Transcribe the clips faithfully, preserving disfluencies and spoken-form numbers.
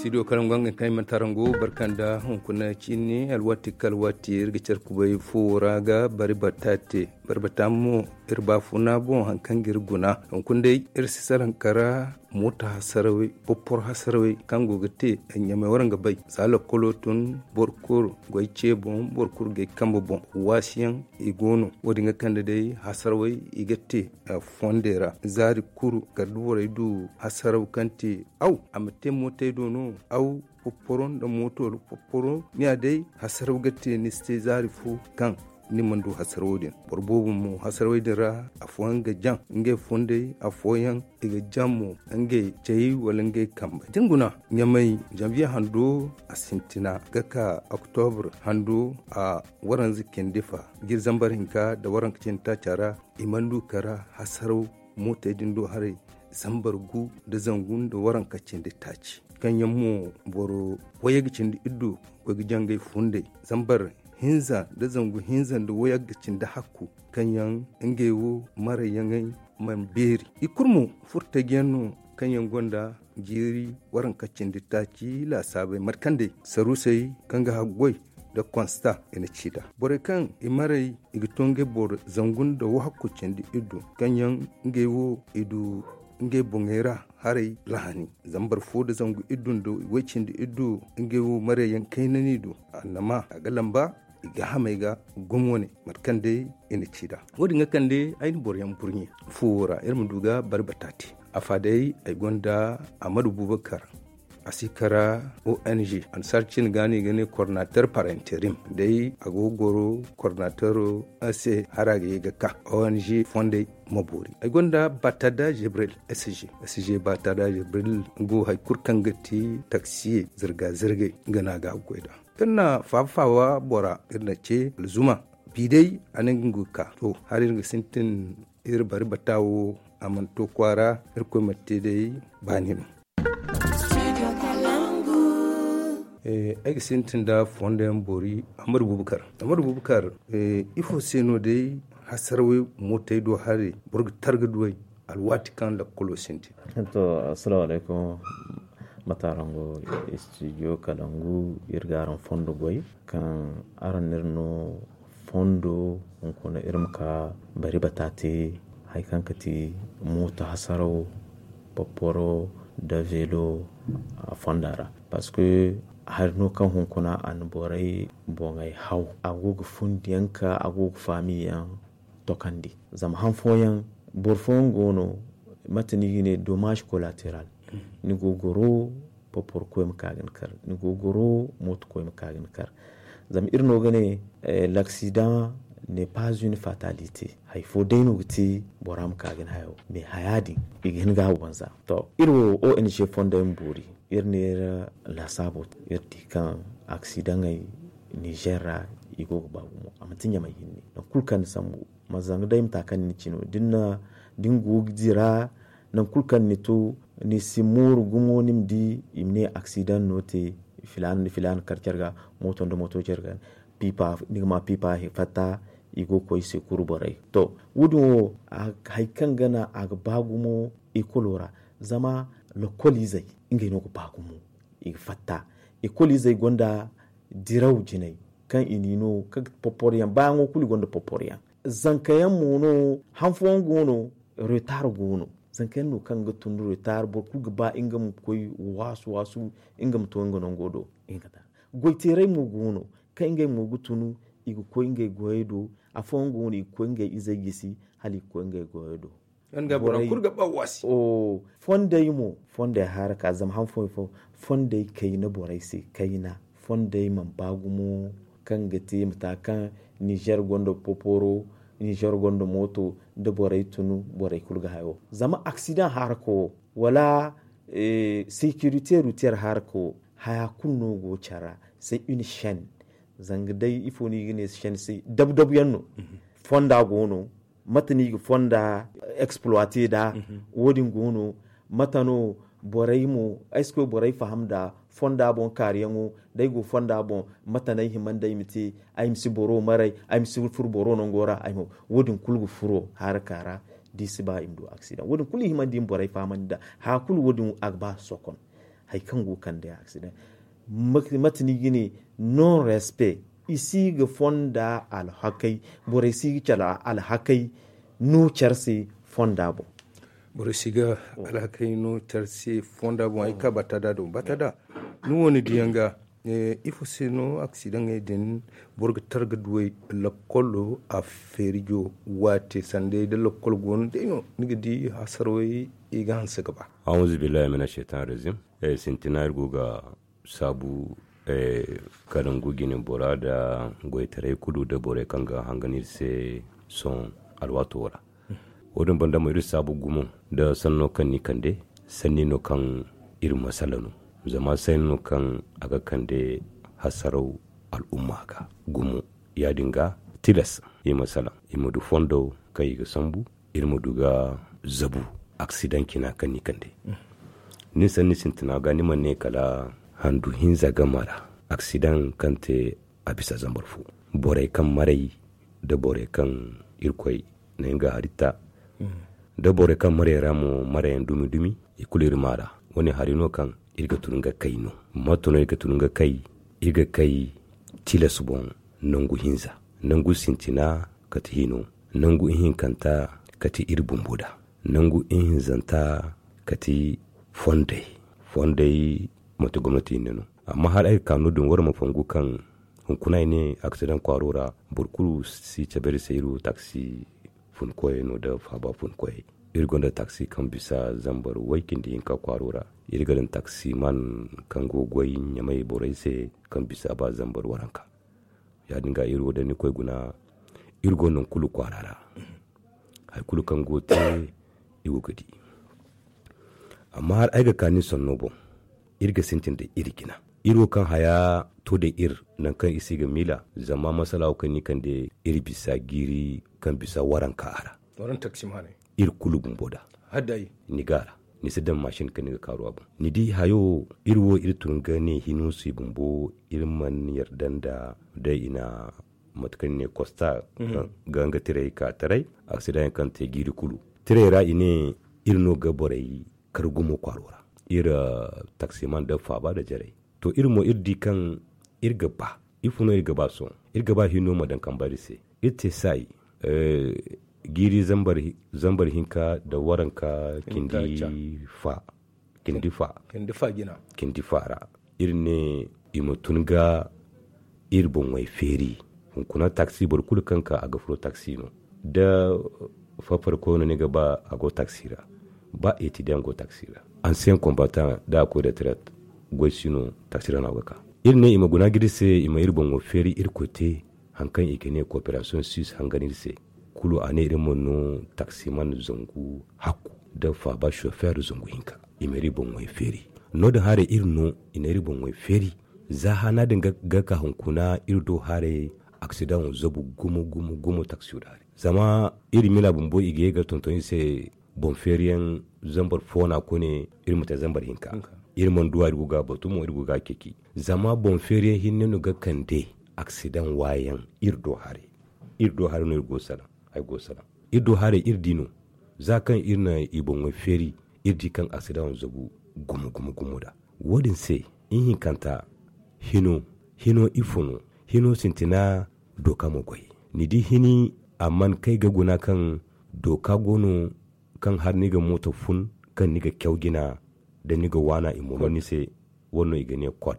Studio karangu, nga kaŋ i mana tarangu barka nda hunkuna ciini, alwaati ka alwaati iri ga care kubay fuwo ra ga bari bata te. Bari bata mo iri baafuna boŋ hari kaŋ ga iri guna. Hunkuna day iri si salaŋ kara mooto hasarawey, popporo hasarawey kaŋ go ga te ɲamey waraŋ ga bay. Za lakkolo tun, boro kulu goy ce boŋ, boro kulu gay kambe boŋ, waasiyaŋ i go no. Wo- din ga kande day hasarawey i ga te fondey ra. Zaari kulu kala da borey du hasaraw kaŋ te aw a ma te mootey do no, aw popporo nda mooto popporo, ni ya day hasaraw ga te ni si te zaari fo kaŋ ni mana du hasarawo din. Boro boobo mo hasarawey din ra afooyaŋ ga jaŋ ngey fondey, afooyaŋ i ga jaŋ mo ngey cey wala ngey kambey. Da ni guna ɲamey, janviye hando a sintina ga ka oktobur hando a waranza cindi fa, jiri zambar hinka nda waranka cindi taaca ra i mana du kara hasaraw mootey din do haray zambar gu nda zangu nda waranka cindi taaci. Kaŋ yaŋ mo boro wayye ga cindi iddu koy ga jangay fundey zambar hinza nda zangu hinza nda wayye ga cindi hakku, kaŋ yaŋ ngey wo marayyaŋey mana beeri. I kulu mo furtajiyaŋ no kaŋ yaŋ gonda jiiri waranka cindi taaci laasaabey markandey saruusey kaŋ ga haggoy nda konsta i na ci nd'a. Borey kaŋ i maray i ga to ngey boro zangu nda wahakku cindi iddu kaŋ yaŋ ngey wo i du ngey boŋey ra haray lahani. Zambar fo nda zangu iddu nda way cindi iddu ngey wo marayyaŋ kayna no i du. Annama a ga lamba i ga hamay ga gumo ne mate kaŋ day i na ci nd'a. Wo- din ga kande ay na boroyaŋ burɲe fuwo ra iri ma du ga bari bata te. A fa day ay gonda amadu bubakar a si kara ong ansaar cine ga no i ga ne coordinateur par interim. Day a go ga goro coordinateur se hara ga ye ga ka ong fondey ma boori. Ay gonda batada jibril sg sg batada jibril go hari kulu kaŋ ga ti taksiye zirga zirgay nga no a ga goy nd'a. Iri na faaba faaba bora iri na ce alzuma bi day a ne nga ga ka to hari iri ga sintin iri bari bata wo a mana to kwaara. Irkoy mana te day baani no. Ay ga sintin nda fondo yaŋ boori amadu bubakar. Amadu bubakar, ifo se no day hasarawey mootey do haray boro ga targa duwey alwaati kaŋ lakkolo sintin? To, assalamu alaykum. Mate araŋ go? Studio kalangu iri ga araŋ fondo goy kaŋ araŋ no iri no fondo hunkuna iri ma ka bari bata te hari kaŋ ga ti mooto hasaraw, popporo nda veelo a fonda ra. Parce que hari no kaŋ hunkuna a na borey boŋey haw a go ga fundiyaŋ ka a go ga faamiyaŋ tokandi. Zama han fooyaŋ boro fooyaŋ go no mate no i ga ne dommage collatéral. Ni go ga goro popporo koy ma ka ga ni kar, ni go ga goro mooto koy ma ka ga ni kar. Zama iri no ga ne l'accident n'est pas une fatalité. Hari fo day no ga te bora ma ka ga ni hayo, mais haya din i ga hin ga a wanza. To, iri wo ong fondey ma boori. Iri ne iri laasaabo iri di kaŋ aksidaŋey nizer ra i go ga ba gumo a manti ɲamay hinne. Nangu kulu kaŋ ni sambu ma zanga day mata kaŋ ni ci no da ni go ga dira nangu kulu kaŋ ni to ni si mooru gumo ni ma di i ma ne aksidaŋ no te. Filaana nda filaana kar care ga mooto nda mooto care ga piipa ni ga ma piipa fatta i go ga koy i se kuru borey. To, wo- din wo hari kaŋ ga naŋ a ga ba gumo ekolo ra. Zama lokoliizey ngey no ga ba gumo i ga fatta. Ekoliizey gonda diraw jinay kaŋ i n'i no kaŋ ga popporoyaŋ baayaŋo kulu i gonda popporoyaŋ. Zanka yaŋ mo no han fooyaŋ go no retar go no. Zanka yaŋ no kaŋ ga tun retar boro kulu ga ba nga ma koy waasu waasu nga ma to nga nango do. Goyteerey mo go no kaŋ ngey mo ga tun i ga koy ngey goyey do. Afooyaŋ go no i ga koy ngey izey gisi hala i ga koy ngey goyey do. Fondey mo fondey haraka zama han fooyaŋ fo fondey kayna borey se kayna. Fondey mana ba gumo kaŋ ga te mata kaŋ nizer gonda poporo nizer gonda mooto da borey tun borey kulu ga hayo zama aksidaŋ haraka wo wala securité routière haraka wo haya kulu no go care ra. C'est une chaîne. Zanga day ifo no i ga ne chaîne se dabu dabu yaŋ no. Fonda go no mate no i ga fonda exploité nd'a. Wo- din go no mate no borey mo ay si koy borey faham nd'a fonda boŋ kaariyaŋo da ay go fonda boŋ mate no ay hima nda ay ma te? Ay ma si boro maray ay ma si furo boro nango ra ay ma wo- din kulu ga furo haraka ra. Da i si ba i ma du aksidaŋ wo- din kulu i hima nda i ma borey fahamandi nd'a haya kulu wo- din a ga ba sokon. Hari kaŋ go ga kande accident, mate ni ga ne, non respect, i si ga fonda alhakey, borey si ga care alhakey no care se fonda boŋ. Borey si ga alhakey no care se fonda boŋ. Ay ga ka batada do batada, ni wo ni diyaŋ ga, ifo se no aksidaŋey din boro ga tara ga duwey? Lakkolo a feerijo waate sanday da lakkol go no day no ni ga di hasarawey i ga hanse ga ba. Auzu billahi mina shaitan razim. Sintina iri go ga saabu, kala ngu jine bora nda goytaray kulu nda borey kaŋ ga hangan iri se sohõ alwaato ra. Wo- din banda mo iri saabu gumo nda sanno kaŋ ni kande, sanni no kaŋ iri masala no. Zama sanni no kaŋ a ga kande hasaraw al'umma ga gumo. Ya- din ga tilas i ma salaŋ, i ma du fondo kaŋ i ga sambu, iri ma du ga zabu aksidaŋ cina kaŋ ni kande. Ni sanni sintina ga ni mana ne kala handu hinza game ra, aksidaŋ kaŋ te a bisa zambar fo. Borey kaŋ maray nda borey kaŋ irkoy na nga hari ta, nda borey kaŋ maray ra mo marayaŋ dumi dumi, i kulu iri maa ra. Wo- ne hari no kaŋ iri ga tun ga kay no. Mato no iri ga tun ga kay? Iri ga kay tilas boŋ, nangu hinza, nangu sintina kate hino, nangu ihinkanta kate iri bumbo da, nangu ihinzanta kate fondey. Fondey manti gomnati hinne no. Amma hala ay ga ka no- din wara ma fongu kaŋ hunkuna ay ne aksidaŋ kwaaro ra, boro kulu si cabe iri se iri wo taksi funkoyey no nda faaba funkoyey. Iri gonda taksi kaŋ bisa zambar way cindi hinka kwaaro ra. Iri ga daŋ taksiman kaŋ go ga goy ɲamay borey se kaŋ bisa ba zambar waranka. Ya- din ga iri wo da ni koy guna, iri go nangu kulu kwaara ra. Hari kulu kaŋ go ga te, iri go ga di. Amma hala ay ga ka ni sanno boŋ, iri ga sintin da iri jina. Iri wo kaŋ haya to da iri, nangu kaŋ iri si ga miila, zama masala wo kaŋ ni kande, iri bisa jiiri kaŋ bisa waranka a ra. Iri kulu bumbo da ni ga a ra, ni si daŋ masin kaŋ ni ga kaaru a boŋ. Ni di hayo, iri wo iri tun ga ne hino se bumbo, iri mana yarda nda day i na mate kaŋ ni ne kosta ga nga tirey ka taray, aksidaŋ kaŋ te jiiri kulu. Tirey ra i ne iri no ga borey kar gumo kwaaro ra. Iri taksiman nda faaba nda jarey. To, iri mo iri di kaŋ iri ga ba, ifo no iri ga ba sohõ? Iri ga ba hino ma daŋ kambe iri se. Iri te saayi, jiiri zambar hinka nda waranka cindi fa, cindi fa ra. Iri ne i ma tun ga iri boŋey feeri. Hunkuna taksi, boro kulu kaŋ ka a ga furo taksi no. Da farfarkoy no ni ga ba a go taksi ra, ba etidiyaŋ go taksi ra, ansiyeŋ kombataŋ da a koy retraite, goy si no taksi ra no a go ga ka. Iri ne i ma guna ga iri se, i ma iri boŋo feeri iri koy te hari kaŋ i ga ne kooperasiyoŋ suisse hangan iri se. Kulu a ne iri ma no taksiman zangu hakku nda faaba chauffeur zangu hinka. I ma iri boŋey feeri. No- din haray iri no i na iri boŋey feeri. Za haana din ga ka hunkuna iri do haray, aksidaŋo zabu gumo gumo gumo taksiyo da haray. Zama iri miila bumbo i ga ye ga tonton iri se boŋ feeriyaŋ zambar fo no a koy ne iri ma te zambar hinka. Iri mana du a, iri go ga a batu mo, iri go ga a ceeci. Zama boŋ feeriyaŋ hinne no ga kande aksidaŋ waayaŋ iri do haray. Iri do haray no iri go ga salaŋ. Ay go ga salaŋ. Iri do haray iri di no. Za kaŋ iri na i boŋey feeri, iri di kaŋ aksidaŋo zabu gumo gumo gumo nd'a. Wo- din se, ihinkanta, hino, hino ifo no? Hino sintina, dooka ma goy. Ni di hini, a mana kay ga guna kaŋ dooka go no, kaŋ hala ni ga mooto fun, kaŋ ni ga caw jina, da ni ga waana i ma no ni se. Wo- din no i ga ne kod.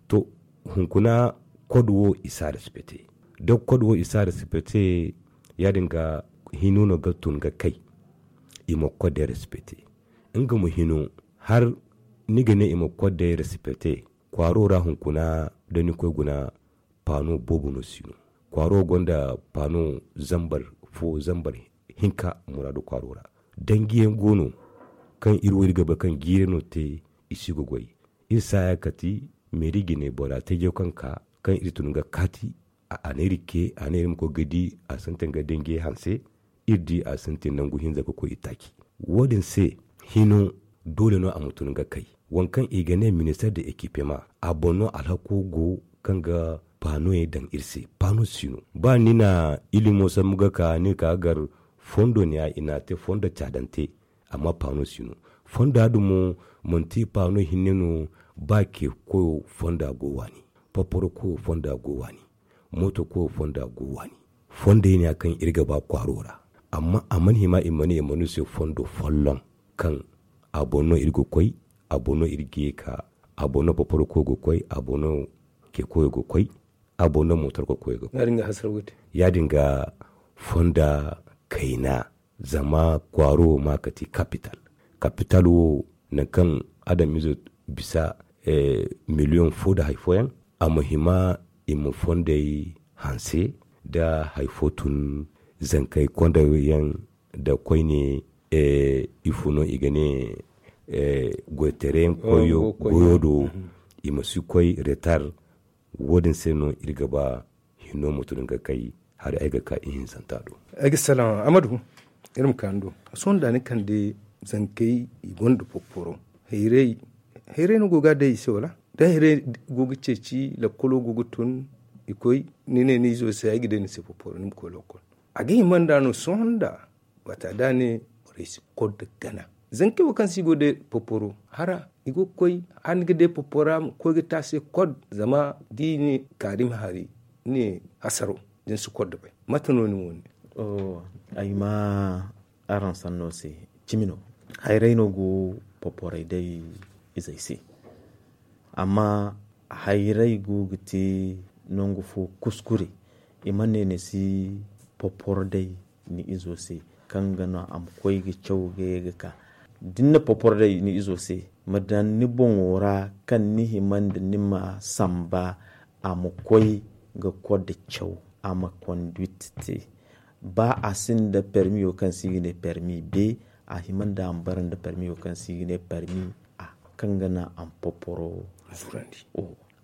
To, hunkuna, kod wo i si a respecte. Da kod wo i si a respecte, ya- din ga hino no ga tun ga kay i ma kodey respecte. Nga mo hino, hala ni ga ne i ma kodey respecte, kwaaro ra hunkuna, da ni koy guna, paano boobo no si no. Kwaaro gonda paano zambar fo, zambar hinka muraadu kwaaro ra. Danjiyaŋ go no, kaŋ iri wo iri ga bay kaŋ jiiri no te, i si ga goy. Iri saaya kati meeri jine bora teejo kaŋ ka, kaŋ iri tun ga kaati, a na iri ce, a na iri ma koy ga di, a sintin ga danjiyay hanse, iri di a sintin nangu hinza ga koy itaaci. Wo- din se, hino, doole no a ma tun ga kay. Waŋ kaŋ i ga ne minister de ekipema, a boŋ no alhako go kaŋ ga paanoyey daŋ iri se. Paano si no. Ba ni na ilimo sambu ga ka, ni ga ka ga gar fondo neeya, i n'a te fondo caadante, Amma paano si no. Fonda din mo, manti paano hinne no. Ba ke koyo fonda go waani, paparo koyo fonda go waani, mooto koyo fonda go waani. Fondey ne ya kaŋ iri ga ba kwaaro ra. Amma a mana hima i ma ne i ma no se fondo folloŋ, kaŋ a boŋ no iri ga koy, a boŋ no iri ga ye ka, a boŋ no paparo koyo ga koy, a boŋ no ke koyo ga koy, a boŋ no mootor koyo ga koy. Ya- din ga fonda kayna. Zama kwaaro wo ma ka ti kapital. Kapital wo, nangu kaŋ adamizo bisa miliyoŋ fo nda hari fooyaŋ, a ma hima i ma fondey hanse nda hari fo tun. Zankey konda yaŋ nda koyne, ifo no i ga ne, goytaray yaŋ koyo goyo do. I ma si koy retar. Wo- din se no iri ga ba hinno ma tun ga kay hari ay ga ka ihinzanta do. Ay ga salaŋ amadu. Iri ma ka ni do. Sohõ da ni kande zankey i gonda popporo, hayray no go ga day i se wala? Da hayray go ga ceeci lakkolo go ga tun, i koy, ni ne ni izo se ay ga day ni se popporo ni ma koy lakkol. A ga hima nda no sohõ nda wata da ne borey si kor da gana. Zankey wo kaŋ se i go day popporo hara i go ga koy, hala ni ga day poppora ma koy ga te a se kod. Zama da i ne kaari ma hari, ni ne hasaro da ni si kor da bay. Mate no ni mo ne? Ay ma araŋ sanno se. Cimi no, hayray no go poporay day izey se. Amma hayray go ga te nangu fo kuskure. I mana ne ni si popor day ni izo se, kaŋ ga no a ma koy ga caw ga ye ga ka. Da ni na popor day ni izo se, ma daŋ ni boŋo ra kaŋ ni hima nda ni ma samba a ma koy ga kor da caw, a ma konduit te. Ba a sinda permiyo kaŋ se i ga ne permi be, a hima nda a ma bara nda permiyo kaŋ se i ga ne permi a, kaŋ ga naŋ a ma poporo zurandi.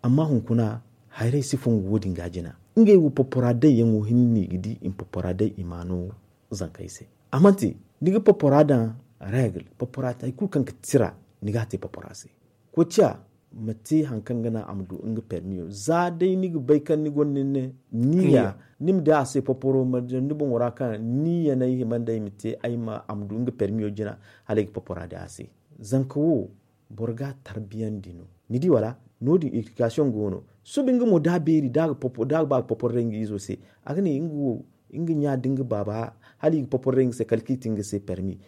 Amma hunkuna, hayray si fongu wo- din ga jina. Ngey wo popora day yaŋo hinne i ga di i ma popora day i ma no zankey se. A manti ni ga popora daŋ regle, popora te hari kulu kaŋ ga tira, ni ga a te popora se. Koociya ma te hari kaŋ ga naŋ a ma du nga permiyo za day ni ga bay kaŋ ni gonda ni ne niya, ni ma di a se poporo ma daŋ ni boŋo ra kaŋ niya no ay hima nda ay ma te ay ma a ma du nga permiyo jina. Hala ay ga popora day a se. Zanka wo boro ga a tarbiyandi no. Ni di wala? No- din education go no. Suba nga mo da a beeri da a ga ba ga poporo day nga izo se, a ga ne nga wo, nga ɲa da nga baaba, hala i ga poporo day nga se kala kaŋ i te nga se permi.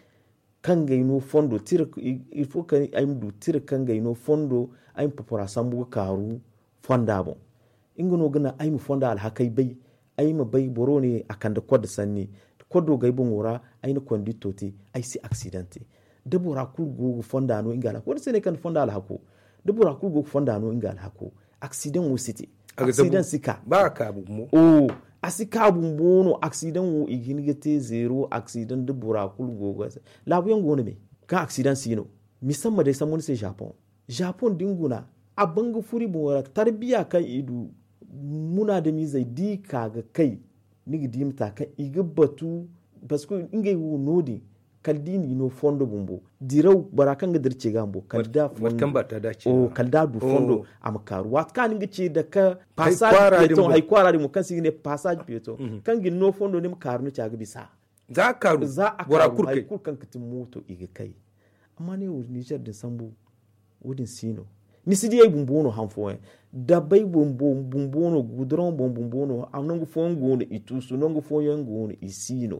Kaŋ ga ay no fondo tira, il faut kaŋ ay ma du tira kaŋ ga ay no fondo, ay ma popora sambu ga kaaru fonda boŋ. Nga no ga naŋ ay ma fonda alhakey bay. Ay ma bay boro ne a kande kodda sanni, koddo ga ay boŋo ra, ay na kondito te, ay si aksidan te. Da bora kulu go ga fonda no nga alhako wo- din se no ay kande fonda alhako. Da bora kulu go ga fonda no nga alhako, aksidan wo si te. Aksidan si ka. Ba a ka bumbo. A si ka bumbo no aksidan wo i ga hin ga te zeero aksidan da bora kulu go ga. Laabu yaŋ go no me kaŋ aksidan si no. Misamma day sambu ni se japon. Japon da ni guna, a ban ga furo i boŋo ra tarbiya kaŋ i du. Munaadamizey da i ka ga kay, ni ga di mata kaŋ i ga batu. Parce que ngey wo no- din, kala da i n'i no fondo bumbo diraw bora kaŋ ga dira ce ga bumbo kala da a du fondo a ma kaaru waati kaŋ a na nga ce dake. Passage piéton hari kwaara din mo kaŋ se i ga ne passage piéton, kaŋ ga ni no fondo ni ma kaaru ni ce a ga bisa. Za a kaaru bora kulu kay. Hari kulu kaŋ ga ti mooto i ga kay. Amma ne wo nizer din sambu, wo- din si no. Ni si di ay bumbo no han fooyaŋ. Dabay bumbo no guduraŋo boŋ bumbo no nangu fooyaŋ go no i tuusu nangu fooyaŋ go no i si no.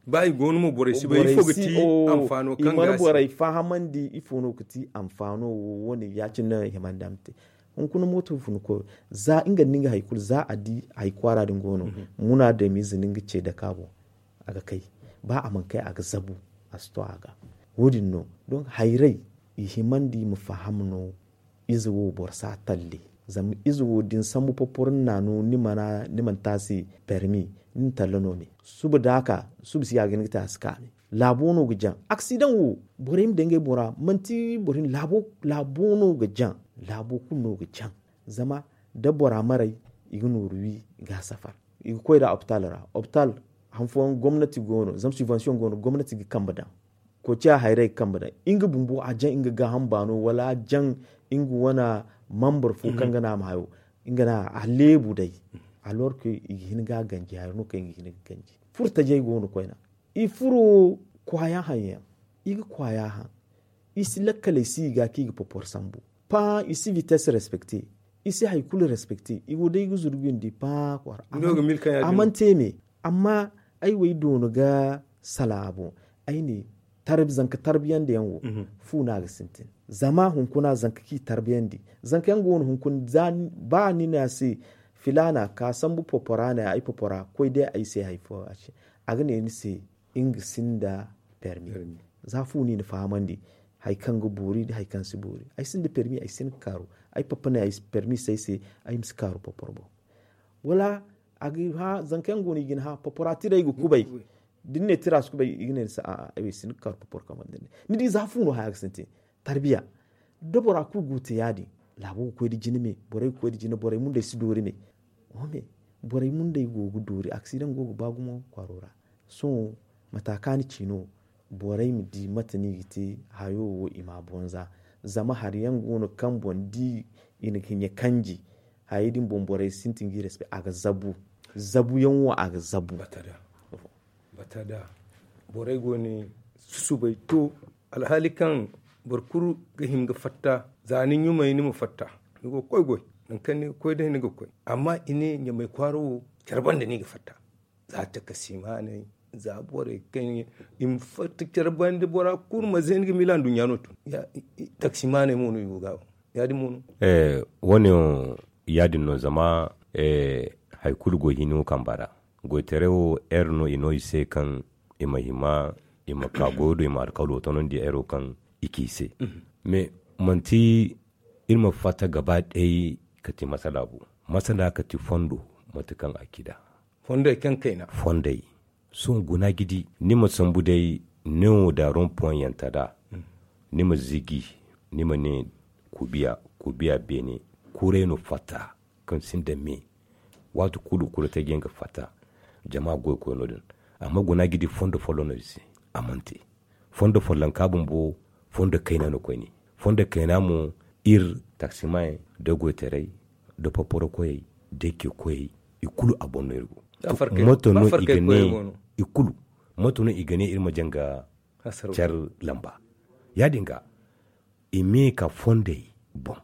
Ba i go no mo borey si bay ifo ga ti anfaano kaŋ ga a si. Borey fahamandi ifo no ga ti anfaano wo- wo- ne ya- cine no ay hima nda a ma te. Hunkuna mooto funa koyo za nga nda nga hari kulu za a di hari kwaara din go no. Munaadamize no nga ce dake a boŋ. A ga kay. Ba a mana kay a ga zabu. A si to a ga. Wo- din no. Donk hayray i himandi i ma faham no. Ize wo boro si a talle. Zama ize wo da ni sambu poporo ni n'a no ni mana te a se permi. Ni na talle no me suba da a ka suba si ya ga hin ga te a si ka me. Laabo no ga jaŋ aksidaŋ wo. Borey ma daŋ ngey boŋ ra manti boro hinne laabo no ga jaŋ. Laabo kulu no ga jaŋ. Zama da bora maray i ga nooru wi ga a safar. I ga koy nd'a opitaal ra opitaal. Han fooyaŋ gomnati go no zama subvention go no gomnati ga kambe daŋ. Koociya hayray ga kambe daŋ nga bumbo a jaŋ nga gaaham baano wala a jaŋ nga wane membre fo kaŋ ga naŋ a ma hayo. Nga no a leebu day. Alors que i ga hin ga a ganji hari no kaŋ i ga hin ga ganji furo tajey go no koyne. I furo kwaayaŋ haŋ yaŋ. I ga kwaaya haŋ. I si lakkaley si i ga kaŋ i ga popor sambu. Paa i si vitesse respecte. I si hari kulu respecte. I go day ga zuru bindi paa kwaara. A mana te me. Amma ay wo ay doona ga sala a boŋ. Ay ne zanka tarbiyandi yaŋ wo fu no a ga sintin. Zama hunkuna zanka kaŋ i tarbiyandi zanka yaŋ go no hunkuna ba ni ne a se filaana ka sambu popora ne ay popora koy day ay se hari fo a ga ne ni se nga sinda permi. Za fu no i na fahamandi hari kaŋ ga boori nda hari kaŋ si boori ay sinda permi ay si hin ga kaaru. Ay papa ne permi si ay se ay ma si kaaru popor boŋ. Wala a ga hã zanka yaŋ go no i ga ni hã popora tiray ga kubay. Da ni ne tira si kubay i ga ne ni se a'a ay wo ay si hin ga kaaru popor kamar da ni ne ni di za fu no haya ga sintin. Tarbiya da bora kulu go ga te ya- din laabo ga koy nda jina me borey ga koy nda jina borey mundey si doori me. Borey mundey go ga doori aksidaŋ go ga ba gumo kwaaro ra. Sohõ mata kaŋ a na ci no borey ma di mate no i ga te hayo wo i ma a boŋ za. Zama hari yaŋ go no kaŋ boŋ da i na hiɲe kanji hayey din boŋ borey sintin ga i respect a ga zabu. Zabu yaŋ wo a ga zabu. Bata da borey go no susubay to alhaali kaŋ boro kulu ga hin ga fatta za ni ɲumay ni ma fatta. Ni go ga koy goy nangu kaŋ ni ga koy day ni ga koy. Amma i ne ɲamay kwaara wo care banda no i ga fatta. Za takasimaaney za borey kaŋ i ma fatta care banda bora kulu ma zay ni ga miila nduɲɲa no tun. Takasimaaney mo no i go ga ya- din mo no. Wo- ne ya- din no zama hari kulu go hino kamba ra. Goytaray wo heure no i no i se kaŋ i ma hima i ma ka goyo do i ma alkawlo tonandi heure wo kaŋ i ci i se. Mais manti iri ma fatta gaba day ka ti masala bo. Masala ka ti fondo mate kaŋ a ci da fondey kaŋ kayna fondey. Sohõ guna ga di ni ma sambu day newo da ron point yaŋ ta da ni ma zigi ni ma ne kubiya kubiya beene. Kuray no fatta kaŋ sinda me waati kulu kulu te ga yaŋ ga fatta. Jama goy koy no- din amma guna ga di fondo folloŋ no iri se. A mana te fondo follonka bumbo fondo kayna no koyne. Fondo kayna mo iri taksimaayey da goytaray da paparo koyey da ke koyey i kulu a boŋ no iri go. Moto no i ga ne i kulu moto no i ga ne iri ma janga care lamba. Ya- din ga i me ka fondey boŋ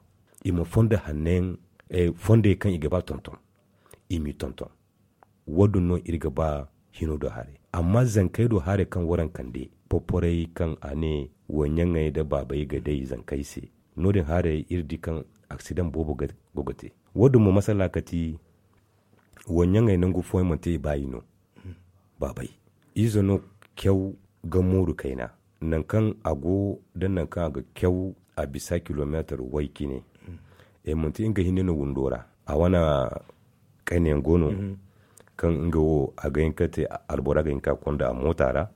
i ma fondo hanno yaŋ fondey kaŋ i ga ba tonton i m'i tonton. Wo- din no iri ga ba hino do haray amma zankey do haray kaŋ waraŋ kande poporey kaŋ a ne wo ɲaŋey nda baabey ga day zankey se. No- din haray iri di kaŋ aksidaŋ boobo go ga te. Wo- din mo masala ka ti wo ɲaŋey nangu fooyaŋ manti i baayi no. Baabey ize no caw ga mooru kayna nangu kaŋ a go da nangu kaŋ a ga caw a bisa kilomeetar way cine. Manti nga hinne no windo ra a wane kayna yaŋ go no kaŋ nga wo a ga hin ka te albora ga hin ka konda a moota ra.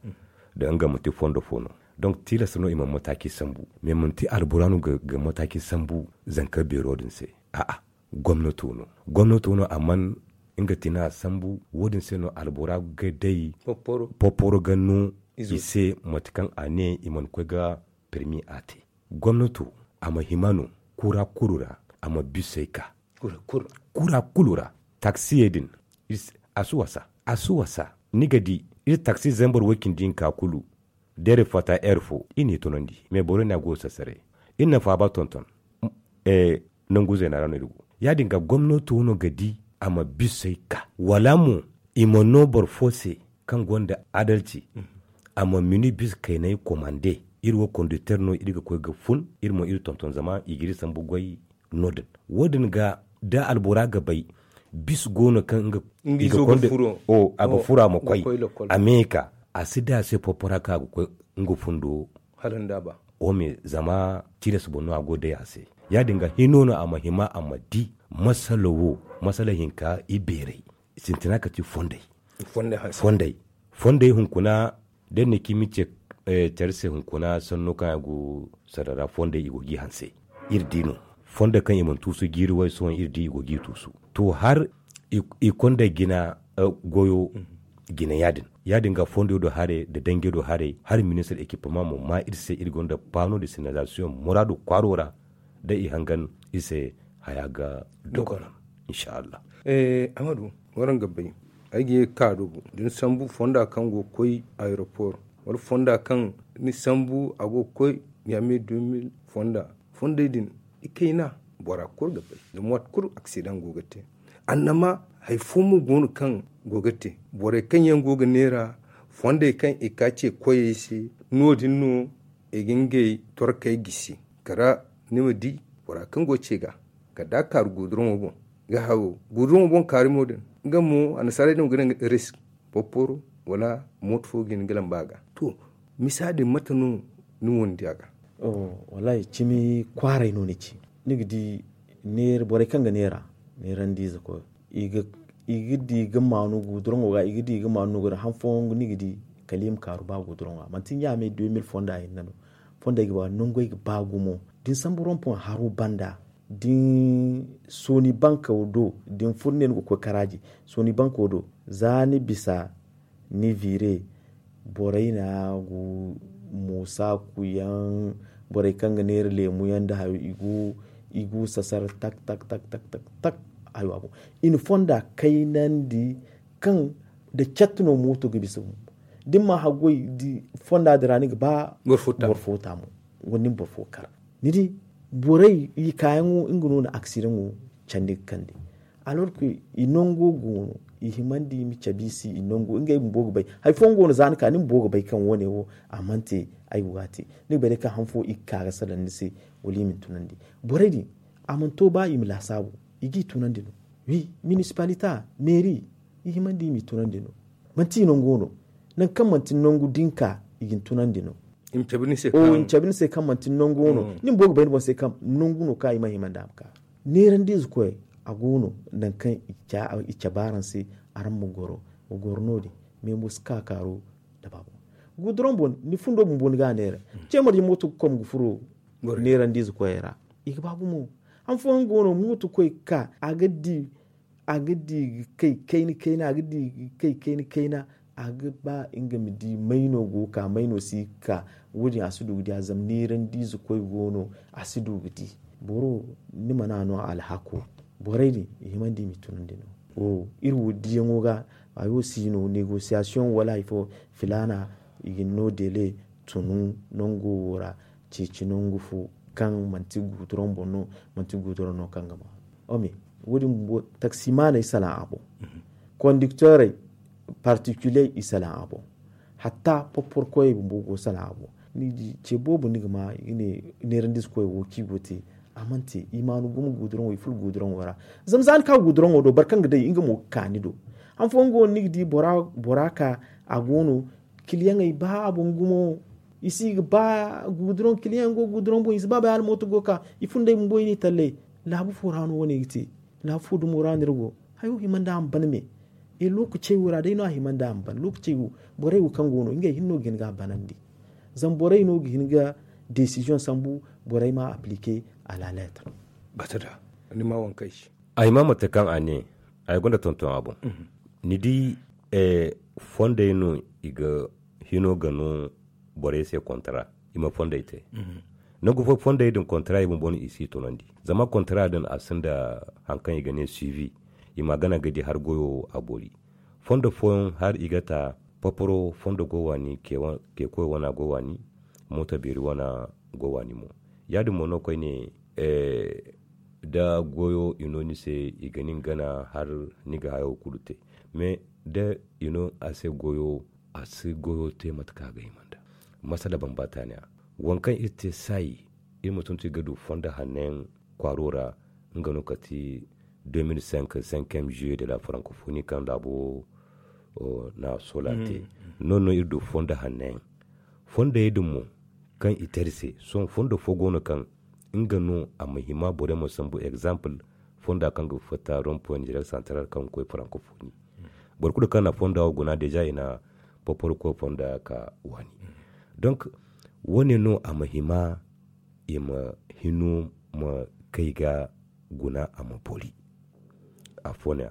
Da nga manti fondo fo no donc tilas no i ma mataaci sambu mais manti albora no ga mataaci sambu zanka beero din se. A'a gomnato no gomnato no a man nga tina sambu wo- din se no albora ga day popporo ga no i se mate kaŋ a ne i mana koy ga permi a te. Gomnato a ma hima no kura kulu ra a ma bisey ka kura kulu ra taksiyey din a si wasa a si wasa. Ni ga di iri taksi zambar way cindi hinka kulu da iri fatta heure fo iri n'i tunandi mais boro ne a go ga sassare iri na faaba tonton. Nangu zeena ra no iri go ya- din ga gomnato no ga di a ma bisey ka wala mo i ma no boro fo se kaŋ gonda adalci a ma mini bisa kaynay komande. Iri wo kondukter no iri ga koy ga fun iri mo iri tonton zama i ga iri sambu goy. No- din wo- din ga da albora ga bay bisa go no kaŋ nga i ga konda a ga fura ma koy a me ka a si da a se porpora kaŋ a ga koy nga fundo. Hala nda ba wo me zama tilas boŋ no a go day a se ya- din ga hino no a ma hima a ma di masala wo masala hinka i beeray sintina ka ti fondey. Fondey hunkuna da ni na cimi ce care se hunkuna sanno kaŋ a go sarara fondey i go g'i hanse. Iri di no fondo kaŋ i mana tuusu jiiri way sohõ iri di i go g'i tuusu to har i konda jina goyo jina ya- din ya- din ga fondo do haray nda dange do haray har ministir ekipama mo ma iri se iri gonda paano de sinalizasiyoŋ muraadu kwaaro ra da i hangan iri se haya ga dokona. Inshallah. Amadu waraŋ ga bay ay ga ye ga ka dogo da ni sambu fonda kaŋ go ga koy aeroport wala fonda kaŋ ni sambu a go ga koy, ɲaamey deux mille fonda. Fondey din, ikayna, bora kulu ga bay zama waati kulu aksidaŋ go ga te. Annama hari fo mo go no kaŋ go ga te, borey kaŋ yaŋ go ga neera fondey kaŋ i ka ce koyey se, no- din no i ga ngey torkey gisi. Kala ni ma di bora kaŋ go ga ce ga kala da a kaaru guduraŋo boŋ, ga hayo guduraŋo boŋ kaarimo din, nga mo annasaarey din go ga ne nga risk, porporo wala mooto fo ga hin ga lamba a ga. To, misa din mate no ni wo ni di a ga? Wallaahi cimi kwaaray no ni ci. Ni ga di neera borey kaŋ ga neera neerandiize koy, i ga di ga maanu guduraŋo ga i ga di ga maanu no ga daŋ han fooyaŋ ni ga di kala i ma kaaru ba guduraŋo ga manti ɲaamey deux mille fonda hinne no. Fondey ga ba nangey ga ba gumo da ni sambu rompoŋ haro banda da ni sooni banko do da ni furo ne ni ga koy karaaji sooni banko do za ni bisa ni viire borey na gu moosa kuyaŋ borey kaŋ ga neera leemu yaŋ nda hayo i gu sasar tak tak tak tak tak. Hayo a boŋ i na fonda kaynandi kaŋ da catti no mooto ga bisa bumbo da ni ma haggoy fonda din ra ni ga ba boro fo taamu wala ni ma boro fo kar. Ni di borey i kaayaŋo nga no na aksidaŋo candi ga kande. Alors que i nango go no i himandi i ma cabe i se i nango ngey bumbo ga bay hari fooyaŋ go no za ni ka ni bumbo ga bay kaŋ wo- ne wo a mana te. Ay go ga a te ni ga bay day kaŋ han fo i ga ka ga salaŋ ni se wala i ma ni tunandi. Borey din a mana to ba i ma laasaabu i g'i tunandi no. Wi minisipalita meeri i himandi i m'i tunandi no. Manti i nango no nangu kaŋ manti ni nangu da ni ka i ga ni tunandi no. I ma cabe ni se kaŋ manti ni nangu no ni bumbo ga bay ni boŋ se kaŋ nangu no kaŋ i mana hima nda a ma ka. Neerandiize koy a go no nangu kaŋ i cabe araŋ se araŋ ma goro. Wa goro no- din meemo si ka kaaru nda baabo. Guduroŋ boŋ ni fundo bumbo ni ga a neera ce marje mooto ga kom ga furo neerandiize koyey ra. I ga ba gumo han fooyaŋ go no mooto koy ga ka a ga di a ga di ga kay kayna kayna a ga di ga kay kayna kayna a ga ba nga ma di may no go ga ka may no si ga ka. Wo- din a si du ga di a zama neerandiize koy go no a si du ga di. Boro ni mana no alhako borey din i himandi i ma i tunandi no. Iri wo diyaŋo ga hayo si no negosiyasiyoŋ wala hari fo filaana i ga ni no dele tunu nango wo ra. Ceeci nangu fo kaŋ manti guuduroŋ boŋ no manti guuduroŋ no kaŋ ga ma. Wo- din bumbo taksimaaney salaŋ a boŋ kondikteerey partikiliyey i salaŋ a boŋ. Hatta porporo koyey bumbo go salaŋ a boŋ. Ni di ce boobo ni ga ma i ga ne neerandiize koyey wo kaŋ i go ga te a mana te i maanu gumo guuduroŋo i furo guuduroŋo ra. Zama za ni ka guuduroŋo do boro kaŋ ga day nga mo ga ka ni do. Han fooyaŋ go no ni ga di bora ka a go no kiliyaŋey ba a boŋ gumo. I si ga ba guuduroŋ kiliyaŋ go guuduroŋ boŋ i si ba bay hala mooto go ga ka i fundey bumbo i n'i tallay. Laabu fo ra no wo- ne ga te. Laabu fo dumo ra no iri go. Hayo hima nda a ma ban me e lookacey wo ra day no a hima nda a ma ban lookacey wo. Borey wo kaŋ go no ngey hinne no ga hin ga a banandi. Zama borey no ga hin ga desiziyoŋ sambu borey ma aplike a la leetar. Bata da ni ma waŋ kaŋ ay si. Ay ma mate kaŋ a ne ay gonda tonton a boŋ. Ni di fondey no i ga hino ga no borey se kontara i ma fondey te. Nangu fo fondey din kontara i bumbo no i si tunandi zama kontara din a sinda hari kaŋ i ga ne suivi. I ma gana ga di hari goyo a boori. Fondo fooyaŋ hari i ga ta paparo fondo go waani ke koy wana go waani. Mooto beeri wana go waani mo ya- din mo no koyne da goyo i no ni se i ga nin gana har ni ga hayo kulu te. Mais da i no a se goyo a si goyo te mate kaŋ a ga hima nda. Masala bambata ne a waŋ kaŋ iri te saayi iri ma tuntu i ga du fondo hanno yaŋ kwaaro ra. Nga no kati deux mille cinq cinquième juillet de la francophonie kaŋ laabo na sola te. Noodin no iri du fondo hanno yaŋ fondey din mo kaŋ i te iri se sohõ fondo fo go no kaŋ nga no a ma hima borey ma sambu exemple fonda kaŋ ga fatta rompoy nizeer central kaŋ ga koy francophonie. Boro kulu kaŋ na fonda wo guna deja i na paparo koy fonda ka waani. Donc wo- ne no a ma hima i ma hino ma kay ga guna a ma boori. Afo no- ya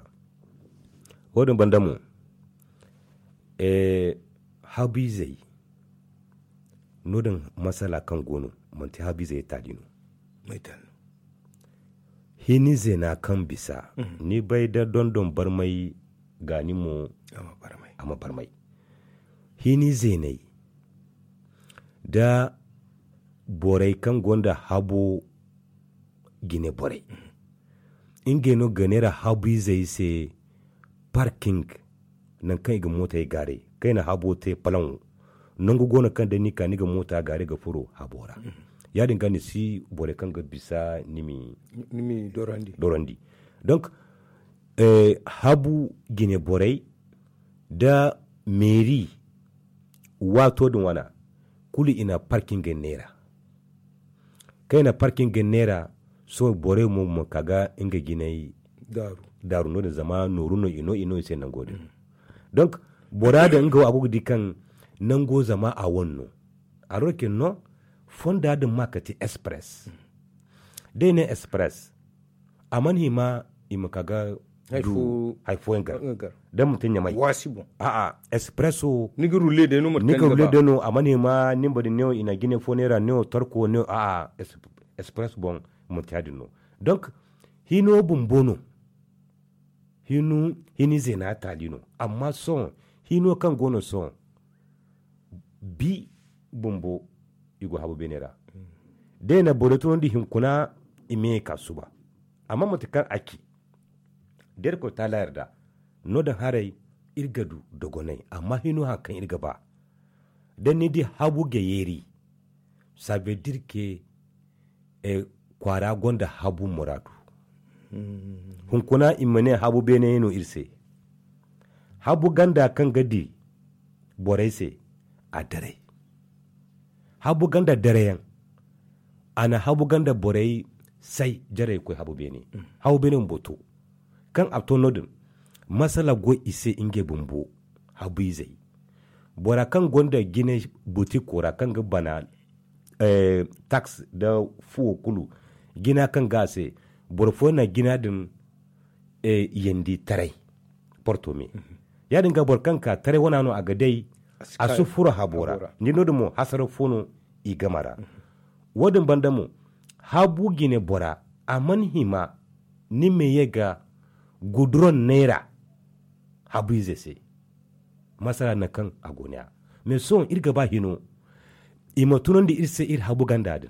wo- din banda mo habu-izey no- din masala kaŋ go no manti habu-izey taali no. Hini zeena kaŋ bisa ni bay da dondon barmay gaani mo a ma barmay. Hini zeeney nda borey kaŋ gonda habo jine borey. Ngey no ga neera habu izey se parking. Nangu kaŋ i ga mootey gaaray kaŋ i na habo te palaŋo. Nangu go no kaŋ da ni ka ni ga moota gaaray ga furo habo ra. Ya- din ga ni si borey kaŋ ga bisa ni mi dorandi. Donk habu jine borey nda meeri waato din wana kulu i na parking neera. Kaŋ i na parking neera sohõ borey mo ma ka ga nga jinay daaru no- din zama nooru no i no i se nango din. Donk bora din nga wo a go ga di kaŋ nango zama a wane no. Alor ke no fonda din ma kati express. Da i ne express a mana hima i ma ka ga du hari fooyaŋ gar. Da manti ɲamay a'a expresso ni ga rulle day no a mana hima nimba din ne wo i na jine fo neera ne wo torko ne wo a'a express boŋ manti ya- din no. Donk hino bumbo no hino hini zeena taali no. Amma sohõ hino kaŋ go no sohõ bi bumbo i go habu beene ra. Da i na borey tunandi hinkuna i ma ye ka suba. Amma mate kaŋ a ci da irkoy taala yarda no- din haray iri ga du dogonay amma hino hari kaŋ iri ga ba da ni di habu ga yeeri. Sabe da iri ke kwaara gonda habu muraadu. Hunkuna i ma ne habu beene no iri se. Habu ganda kaŋ ga di borey se a daray. Habu ganda darayaŋ a na habu ganda borey say jarey ga koy habu beene. Habu beene bumbo to kaŋ a to no- din masala go i se ngey bumbo. Habu izey bora kaŋ gonda jine butiko ra kaŋ ga bana tax nda fuwo kulu jina kaŋ ga a se boro fooyaŋ na jina din yandi taray. Porto me ya- din ga boro kaŋ ka taray wana no a ga day a si furo habo ra. Ni no- din mo hasara fo no i game ra. Wo- din banda mo habu jine bora a mana hima ni ma ye ga guduroŋ neera habu ize se. Masala nangu kaŋ a go ne- ya mais sohõ iri ga ba hino i ma tunandi iri se iri habu ganda din.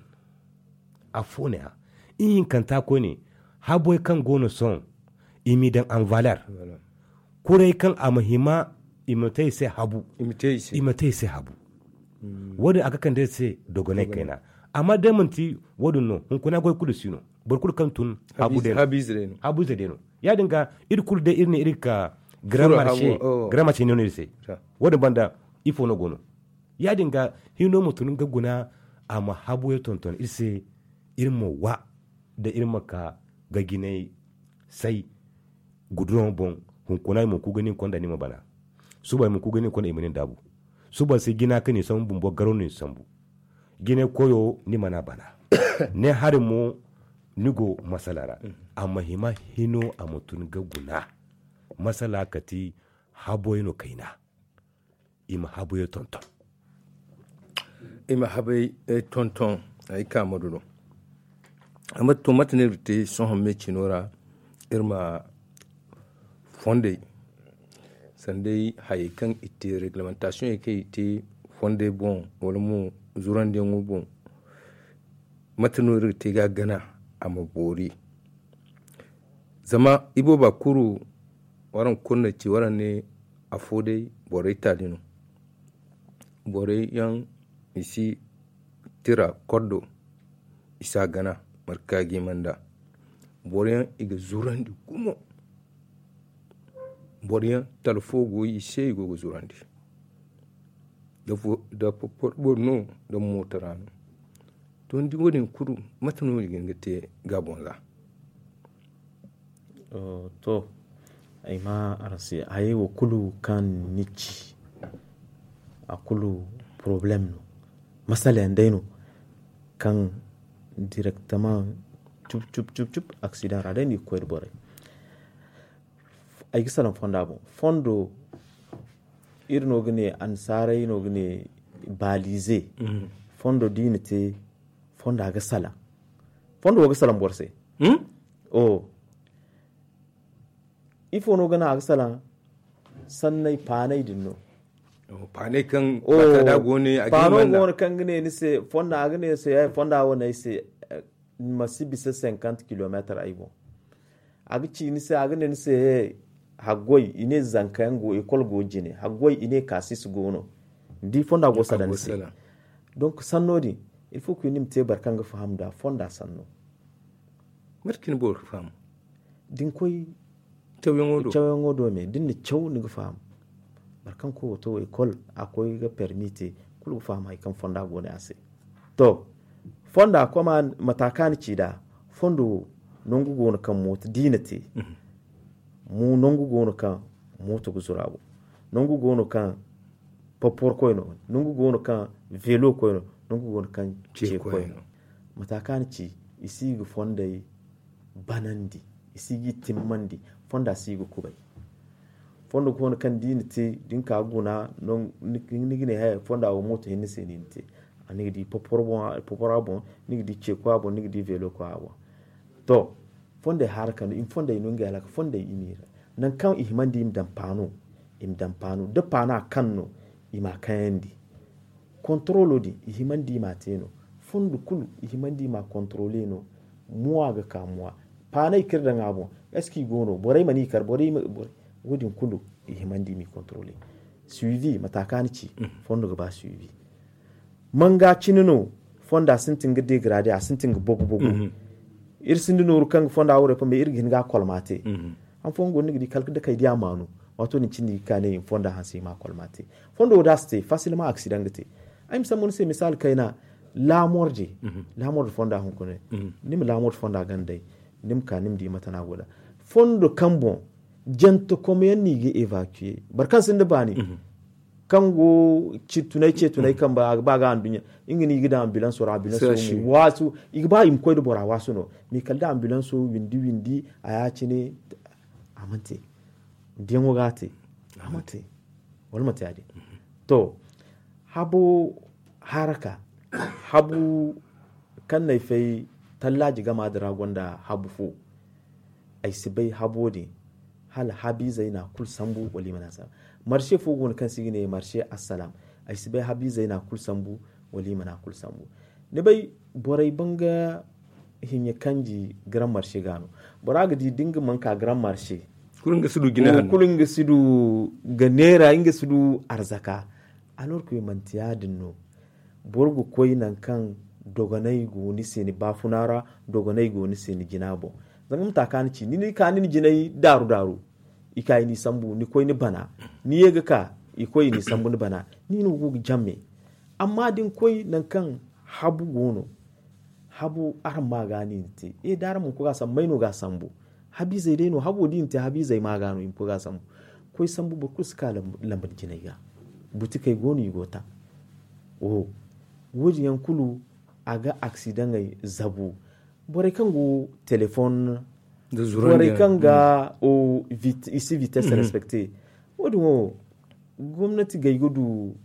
Afo ne- ya ihinkanta koyne haboy kaŋ go no sohõ i m'i daŋ en valeur. Kuray kaŋ a ma hima i ma te i se habu. I ma te i se habu. Wo- din a ga kande iri se dogonay kayna. Amma day manti wo- din no hunkuna goy kulu si no. Boro kulu kaŋ tun habu day no. Habu ize day no ya- din ga iri kulu day iri ne iri ga ka grand marché ne no iri se. Wo- din banda ifo no go no ya- din ga hino ma tun nga guna a ma habuyaŋ tonton iri se. Iri ma wa da iri ma ka ga jinay say guduroŋo boŋ. Hunkuna i ma ku ga nin konda ni ma bana. Suba i ma ku ga nin konda i ma nin daabu. Suba se jina kaŋ ni sambu bumbo garo no ni sambu. Jine koyo ni mana bana. Ne hari mo ni go masala ra. A ma hima hino a ma tun ga guna. Masala kati haboy no kayna. I ma habuyo tonton. I ma habay tonton ay ka ma duno. Amma to mate no iri ga te sohõ me cino ra iri ma fondey sanday hayey kaŋ i te reglementation kaŋ i te fondey boŋ wala mo zurandiyaŋo boŋ. Mate no iri ga te ga gana a ma boori. Zama ibooba kuru waraŋ kulu na ci waraŋ ne afo day borey taali no. Borey yaŋ i si tira koddo i si a gana marka ga i manda. Boro yaŋ i ga zurandi gumo. Boro yaŋ talfo go i se i go ga zurandi. Da porpor boro no da mooto ra no. To ni di wo- din kulu mate no i ga hin ga te ga boŋ ra? To ay ma araŋ se hayey wo kulu kaŋ ni ci a kulu poroblem no. Masala yaŋ day no kaŋ direktamaŋ cub cub cub aksidaŋ ra day no i ga koy nda borey. Ay ga salaŋ fonda boŋ fondo iri no ga ne annasaarey no ga ne baalize. Fondo da i na te fonda ga salaŋ. Fondo wo ga salaŋ boro se. Ifo no ga naŋ a ga salaŋ? Sanney paaney din no. Paanay kaŋ paano go ne a ga ne ni se fonda a ga ne se fonda wo ne ay se, ma si bisa cinquante kilometer ay boŋ. A ga ci ni se a ga ne ni se he haggoy i ne zanka yaŋ go ekol go jine haggoy i ne kasis go no. Ni di fonda go sala ni se. Donc sanno din il faut que ni ma te boro kaŋ ga faham da fonda sanno. Mate kaŋ boro ga faham da ni koy cawyaŋo do me da ni na caw ni ga faham. Boro kaŋ koy wato ekol a koy ga permi te kulu ga faham hari kaŋ fonda go ne a se. To fonda koma mata kaŋ a na ci nd'a. Fondo wo nangu go no kaŋ mooto da i na te. Mo nangu go no kaŋ mooto ga zuru a boŋ. Nangu go no kaŋ popor koy no. Nangu go no kaŋ velo koy no. Nangu go no kaŋ ce koy no. Mata kaŋ a na ci i si ga fondey banandi, i si ga i timmandi. Fonda si ga kubay. Fondo go no kaŋ da i na te da ni ka ga guna ni ga ne haya fonda wo mooto hinne se no i na te. Ni ga di popora boŋ, ni ga di ceeko a boŋ, ni ga di veelo koy a boŋ. To fondey haara kande i ma fondey no ngey alaka fondey i ma i ra. Nangu kaŋ i himandi i ma daŋ paano, i ma daŋ paano da paano a kaŋ no i ma a kayandi. Kontorolo din i himandi i ma a te no. Fondo kulu i himandi i ma a kontorole no. Muwa ga ka muwa paanay kaŋ iri daŋ a boŋ. Est-ce que i go no borey mana i kar borey wo- din kulu i himandi i ma i kontorole. Suivi mata kaŋ a na ci fondo ga ba suivi. Manga cine no fonda sintin ga degrade a sintin ga bogu bogu. Iri sinda nooru kaŋ ga fonda wo repo mais iri ga hin ga a kolma te. Han fooyaŋ go no ni ga di kala da kay di a maanu. Waato din cindi ga ka ne i ma fonda hanse i ma a kolma te. Fondo wo da a si te fasilma aksidaŋ ga te. Ay ma sambu ni se misali kayna lamorde. Lamorde fonda hunkuna ni ma lamorde fonda ganda day. Ni ma ka ni ma di mate no a go da fondo kaŋ boŋ jantakom yaŋ no i ga evacuer boro kaŋ sinda baani. Kaŋ go ci tunay ce tunay kamba a ga ba ga anduɲɲa nga no i ga daŋ ambilanso ra ambilanso mo waasu. I ga ba i ma koy nda bora waasu no. Mais kala da ambilanso windi windi a ya cine a mana te. Diyaŋo ga a te a mana te. Wala manti ya- din to habu haraka habu kaŋ no ay fay tallaaji gama din ra gonda habu fo. Ay si bay habo din hala habiizey no a kulu sambu wala i mana sambu. Marse fo go no kaŋ se i ga ne marse assalam. Ay si bay habiizey no a kulu sambu wala i mana a kulu sambu. Ni bay borey banga hiɲe kanji grand marse ga no. Bora ga di da nga mana ka grand marse kulu nga si du ga neera nga si du arzaka. Alors que manti ya- din no. Boro ga koy nangu kaŋ dogonay go ni se ni baafuna ra dogonay go ni se ni jina boŋ. Zama mata kaŋ a na ci ni ka ni na jinay daaru daaru. I ka i n'i sambu ni koy ni bana ni ye ga ka i koy i n'i sambu ni bana. Ni no go ga jamme. Amma da ni koy nangu kaŋ habu go no habu araŋ ma ga no i na te e da araŋ mana koy ga a sambu may no ga a sambu. Habiizey day no habo da i na te habiizey ma ga no i ma koy ga a sambu. Koy sambu boro kulu si ka lamba ni jinay ga. Butikey go no i go taŋ. Wo- din yaŋ kulu a ga aksidaŋey zabu. Borey kaŋ go telefoŋ borey kaŋ ga i si vitesse respecte. Wo- din wo gomnati gay ga du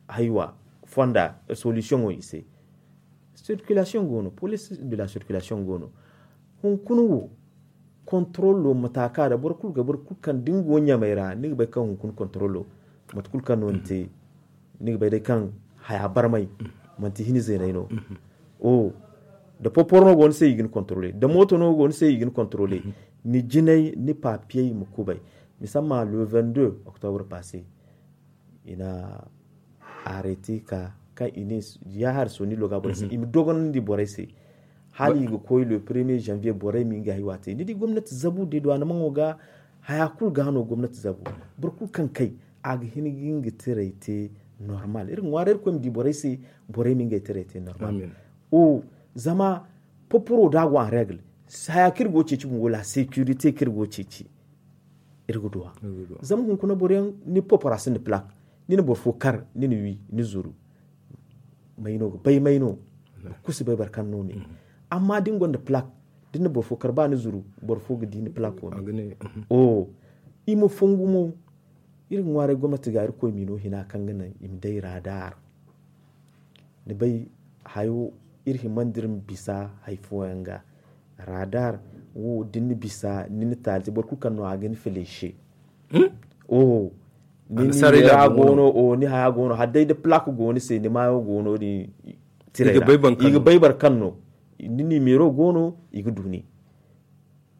haywa fonda solution wo i se. Circulation go no police de la circulation go no. Hunkuna wo contrôle mata ka da boro kulu ga boro kulu kaŋ da ni go ɲamay ra ni ga bay kaŋ hunkuna contrôle mate kulu kaŋ no ni te. Ni ga bay day kaŋ haya barmay manti hini zeenay no. O da poporo no go ni se i ga ni contrôle da mooto no go ni se i ga ni contrôle. Ni jinay ni papiyey ma kubay. Misamma le vingt-deux octobre passé i na arrêté ka kaŋ i ne ya hari soni loga borey se i ma dogonandi borey se. Hala i ga koy le premier janvier borey ma ngey haywa te ni di gomnati zabu de duwaana maŋo ga. Haya kulu ga no gomnati zabu boro kulu kaŋ kay a ga hin ga nga tiray te normal iri ŋwaara iri koy ma di borey se. Borey ma ngey tiray te normal. O zama poporo da go en règle haya kaŋ iri go ceeci bumbo la sécurité kaŋ iri go ceeci. Iri ga duwa zama hunkuna boroyaŋ ni popora sinda plak. Ni na boro fo kar ni na wi ni zuru. May no ga bay may no. Kusi bay boro kaŋ no ne. Amma da ni gonda plak da ni na boro fo kar ba ni zuru boro fo ga di ni plak wo. O i ma fongu mo. Iri ga ŋwaaray gomnati ga iri koy mino hina kaŋ ga naŋ i ma day radar. Ni bay hayo iri himandi iri ma bisa hari fooyaŋ ga. Radar wo da ni na bisa ni na taali te boro kulu kaŋ no a ga ni feleese. Oho. ni ni mera goono o ni haya goono hala day da plak go ni se ni maayo go no- din. Tiray ra i ga bay boro kaŋ no ni nimero go no i ga du ni.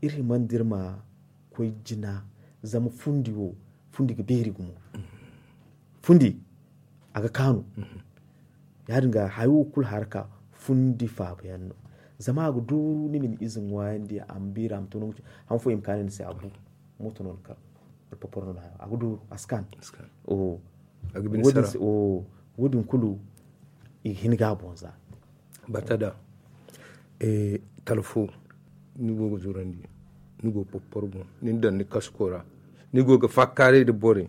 Iri himandi iri ma koy jina. Zama fundi wo fundi ga beeri gumo. Fundi a ga kaanu. Ya- din ga hayo kulu haraka fundi faaba yaŋ no. Zama a ga dooru ni ma ni ize ŋwaayandi a ma beeri a ma to nangu cine. Han fo i ma kaanu ni se a bu mooto no ni kar. Wala poporo no ni hayo a ga dooru a si kaanu. Wo- din kulu i ga hin ga a boŋ za. Bata da talfo ni go ga zurandi, ni go ga poporo boŋ, ni na daŋ ni kasko ra, ni go ga faakaaray nda borey.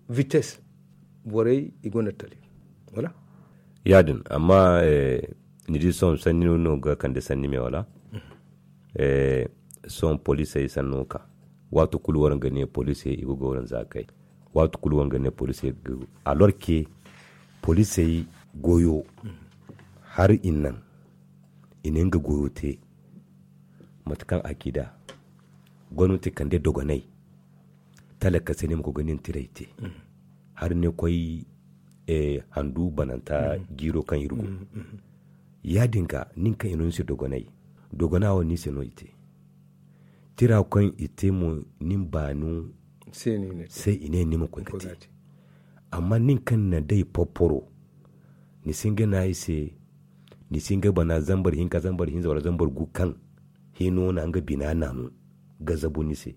Vites borey i gonda tali. Wala? Ya- din amma ni di sohõ sanni no ga kande sanni me wala? Sohõ poliisey sanno ka waato kulu waraŋ ga ne poliisey i ga goro nda zaakey. Waato kulu waraŋ ga ne poliisey ga goro. Alorke poliisey goyo hari i naŋ i na nga goyo te. Mate kaŋ a ci da gomnati kande dogonay talaka se ni ma koy ga nin tiray te. Hari ni koy handu bananta jiiro kaŋ iri go. Ya- din ga nin kaŋ i no ni se dogonay dogona wo ni se no i te. Tira kaŋ i te mo nin baanu se i ne ni ma koy ga te. Amma nin kaŋ na day porporo ni si hin ga naŋ i se. Ni si hin ga bana zambar hinka zambar hinza wala zambar gu kaŋ hino na nga bina naanu ga zabu ni se.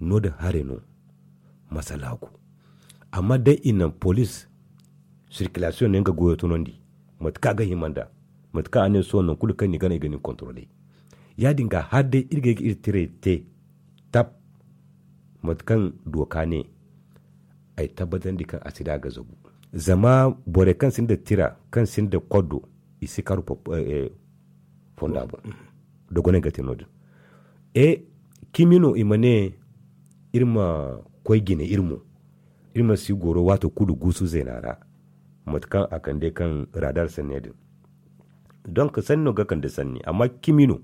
No- din haray no masala go. Amma day i naŋ poliis sirkilasiyoŋ ne nga goyo tunandi. Mate kaŋ a ga hima nd'a mate kaŋ a ne sohõ nangu kulu kaŋ ni gana i ga ni kontorole. Ya- din ga hala day iri ga ay ga iri tiray te tab. Mate kaŋ dooka ne ay tabbatandi kaŋ a si da a ga zabu. Zama borey kaŋ sinda tira kaŋ sinda koddo i si karu fonda boŋ. Dogonay ga te no- din e cimi no i ma ne iri ma koy jine iri mo. Iri ma si goro waato kulu guusu zeena ra mate kaŋ a kande kaŋ radar sanne din. Donk sanni no ga kande sanni amma cimi no.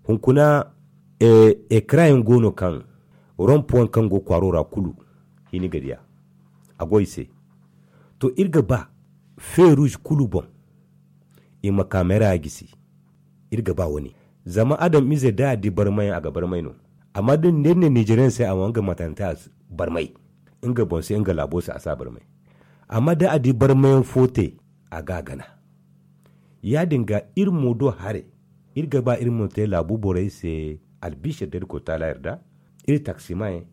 Hunkuna ekara yaŋ go no kaŋ rompo yaŋ kaŋ go kwaaro ra kulu hini ga diya a go i se. To iri ga ba feeruuz kulu boŋ i ma kaamera gisi. Iri ga ba wo- ne zama adamize da a di barmayaŋ a ga barmay no. Amma da ni ne nizeriyaŋ se a ma nga matanta barmay nga boŋ se nga laabo se a si a barmay. Amma da a di barmayaŋ fo te a ga a gana. Ya- din ga iri mo do haray iri ga ba iri ma te laabu borey se albisir da iri koy taala yarda. Iri taksimayaŋ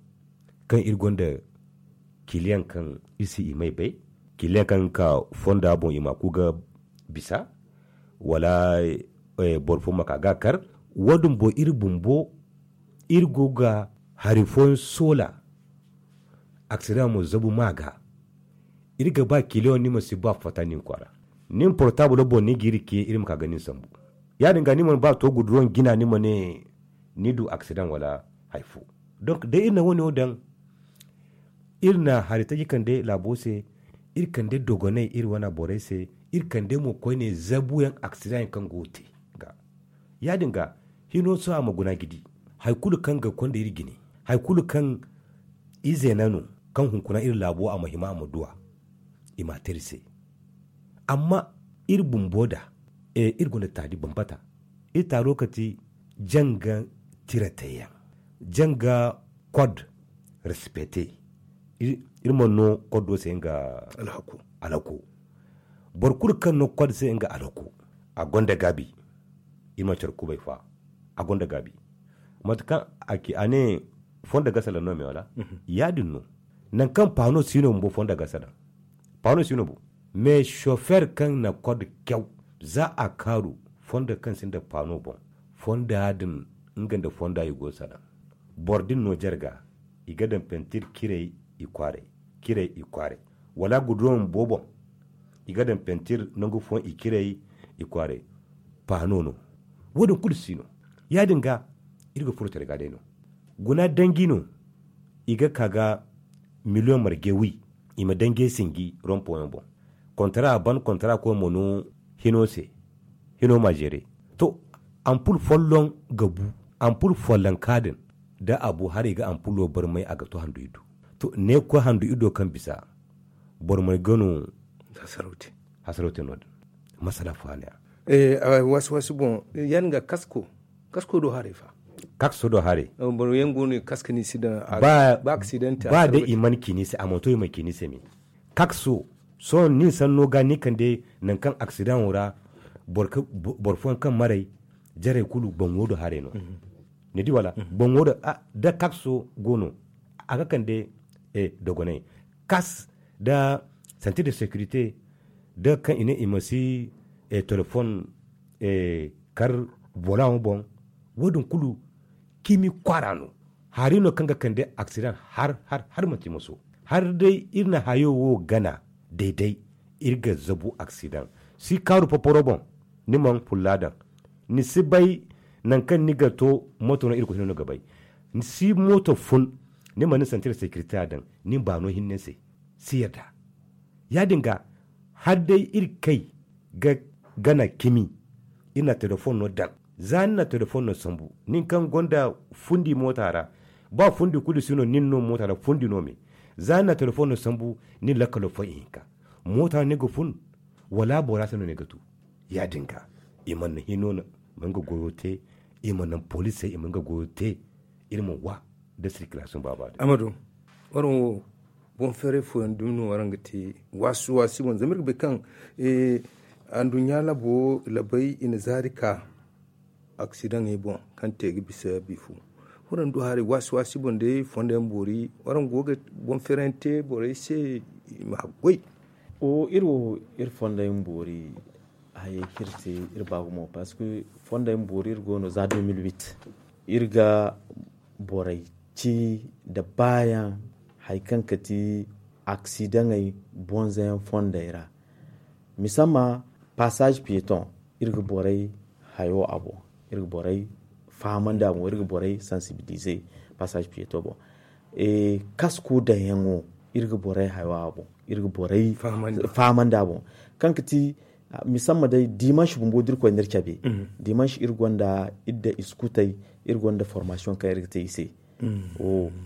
kaŋ iri gonda kiliyaŋ kaŋ iri si i may bay kiliyaŋ kaŋ ga ka fonda boŋ i ma ku ga bisa wala boro fo ma ka ga a kar. Wo- din boŋ iri bumbo iri go ga hari fooyaŋ soola. Aksida mo zabu ma ga iri ga ba kiliyaŋ ni ma si ba fatta nin kwaara. Nin portaabul boŋ ni ga iri ke iri ma ka ga nin sambu. Ya- din ga ni mana ba to guduroŋ jina ni ma ne ni du aksidaŋ wala hari fo. Donk day iri na wo- ne wo daŋ iri na hari taji kande laabo se. Iri kande dogonay iri wane borey se iri kande mo koyne zabuyaŋ aksidaŋ yaŋ kaŋ go ga te ga. Ya- din ga hino sohõ a ma guna ga di hari kulu kaŋ ga konda iri jine hari kulu kaŋ ize na no kaŋ hunkuna iri laabo a ma hima a ma duwa. I ma a te iri se. Amma iri bumbo da iri gonda taali bambata. Iri taalo kati janga tira teyaŋ janga kod respecte. Iri mana no koddo se nga alhako. Boro kulu kaŋ no kod se nga alhako a gonda gaabi. Iri mana care kubay fa a gonda gaabi. Mate kaŋ a ci a ne fondo gasa laŋ no me wala? Ya- din no. Nangu kaŋ paano si no bumbo fondo gasa laŋ. Paano si no bo. Mais chauffeur kaŋ na kod caw za a kaaru fondo kaŋ sinda paano boŋ. Fonda din nga nda fonda i go salaŋ. Boro din no jarga i ga daŋ pentir ciray i kwaaray. Ciray i kwaaray wala guduraŋ booboŋ. I ga daŋ pentir nangu fooyaŋ i ciray i kwaaray. Paano no. Wo- din kulu si no. Ya- din ga iri ga furo care ga day no. Guna danji no. I ga ka ga miliyoŋ marje wi. I ma danjey sinji rompoyaŋ boŋ. Kontara a ban kontara koy ma no hino se. Hino ma zeere. To ampul folloŋ ga bu. Ampul follonka din da a bu hala i ga ampulo barmay a ga to handu i du. Ne ga koy handu iri do kaŋ bisa boro mana gano. Hasarau te no- din masala fo a ne a. Waasi waasi boŋ ya- din ga kasko kasko do haray fa. Kasko do haray boro yaŋ go no i ga kaska ni si daŋ ba aksidan te ba day i mana ci ni se a mana to i mana ci ni se me. Kasko sohõ nin sanno ga ni kande nangu kaŋ aksidan wo ra boro fooyaŋ kaŋ maray jaray kulu boŋo do haray no. Ni di wala boŋo do da kasko go no a ga kande dogonay kas da santir de securité da kaŋ i ne i ma si telefon kar bolaŋo boŋ. Wo- din kulu cimi kwaara no hari no kaŋ ga kande aksidan har har har manti maso har day iri na hayo wo gana dayday iri ga zabu aksidan si kaaru poporo boŋ ni mana fulla daŋ ni si bay nangu kaŋ ni ga to mooto no iri ga hin no ga bay ni si mooto fun ni mana ni santir securité a daŋ ni baano hinne se si yadda ya- din ga har day iri kay ga gana cimi iri na telefon no daŋ za ni na telefon no sambu nin kaŋ gonda fundi moota ra ba fundi kulu si no nin no moota ra fundi no me za ni na telefon no sambu nin lakkalo fo ihinka moota ni ga fun wala bora se no ni ga tu ya- din ga i mana hino mana nga goyo te i mana naŋ poliisey i mana nga goyo te iri ma wa da sirkilasiyoŋ baaba din. Amadu waraŋ wo boŋ feeray fooyaŋ dumi no waraŋ ga te waasi waasi boŋ zama iri ga bay kaŋ anduɲɲa labo labay i na zaari ka aksidaŋey boŋ kaŋ te ga bisa bifu waraŋ du haray waasi waasi boŋ day fondo yaŋ boori waraŋ go ga boŋ feeray yaŋ te borey se i ma haggoy. Iri wo iri fondo yaŋ boori hayey kaŋ iri te iri ba gumo parceque fondo yaŋ boori iri go no za deux mille huit iri ga borey ci nda baayaŋ hari kaŋ ga ti aksidaŋey bonzayaŋ fondey ra. Misamma passage pieton iri ga borey hayo a boŋ iri ga borey fahamandi a boŋ iri ga borey sensibiliser passage pieton boŋ. Kasko daŋyaŋo iri ga borey hayo a boŋ iri ga borey fahamandi a boŋ kaŋ ga ti misamma day dimanche bumbo da iri koy no iri cabe dimanche iri gonda iri da iskutey iri gonda formation kaŋ iri ga te i se.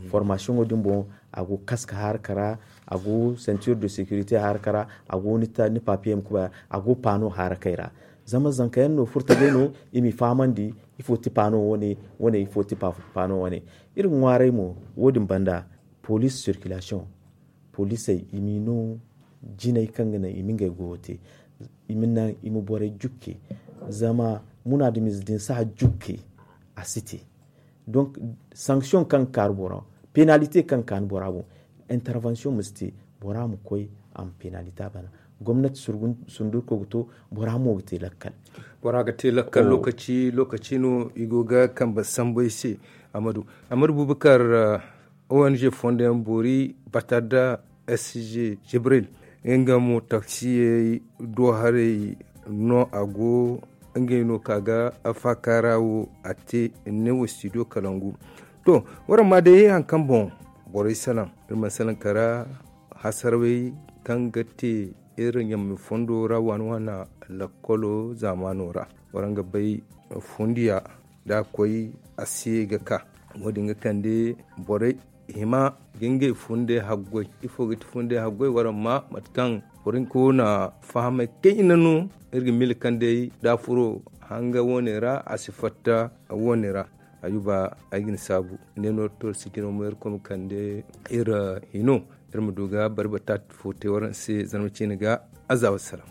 Formation wo din boŋ a go kaska haraka ra a go ceinture de securité haraka ra a go ni papier ma kubay a go pano harakey ra. Zama zanka yaŋ no furta day no i m'i fahamandi ifo ti pano wane wane ifo ti pano wane. Iri ga ŋwaaray mo wo- din banda police circulation poliisey i m'i no jinay kaŋ ga naŋ i ma ngey goyo te i ma naŋ i ma borey jukke. Zama munaadamiize din si a jukke a si te. Donc sanction kaŋ ga kaanu bora boŋ penalité kaŋ ga kaanu bora boŋ intervention ma si te bora ma koy a ma penalité a bana. Gomnati sundurko ga to bora mo ga te lakkal. Bora ga te lakkal lokaci lokaci no i go ga kambe sambu ay se. Amadu amadu bubakar ong fondo yaŋ boori bata nda sg jibril nga mo taksiyey do haray no a go ngey no ka ga faakaara wo a te ne wo studio kalangu. To waraŋ ma day hari kaŋ boŋ borey salaŋ iri mana salaŋ kara hasarawey kaŋ ga te iri ɲamey fondo ra waana waana lakkolo zaamaano ra waraŋ ga bay fundiya da a koy a se ga ka wo- din ga kande borey hima ga ngey funday haggoy ifo ga ti funday haggoy waraŋ ma mate kaŋ boro hinka wo na fahamay kayna no iri ga mila kaŋ day da a furo hanga wo- ne ra a si fatta wo- ne ra. Ayuba ay ga ni saabu ne no iri to iri si jina mo iri koy ma kande iri hino iri ma du ga barbata fo te waraŋ se zarma ciine ga. Aza wassalaam.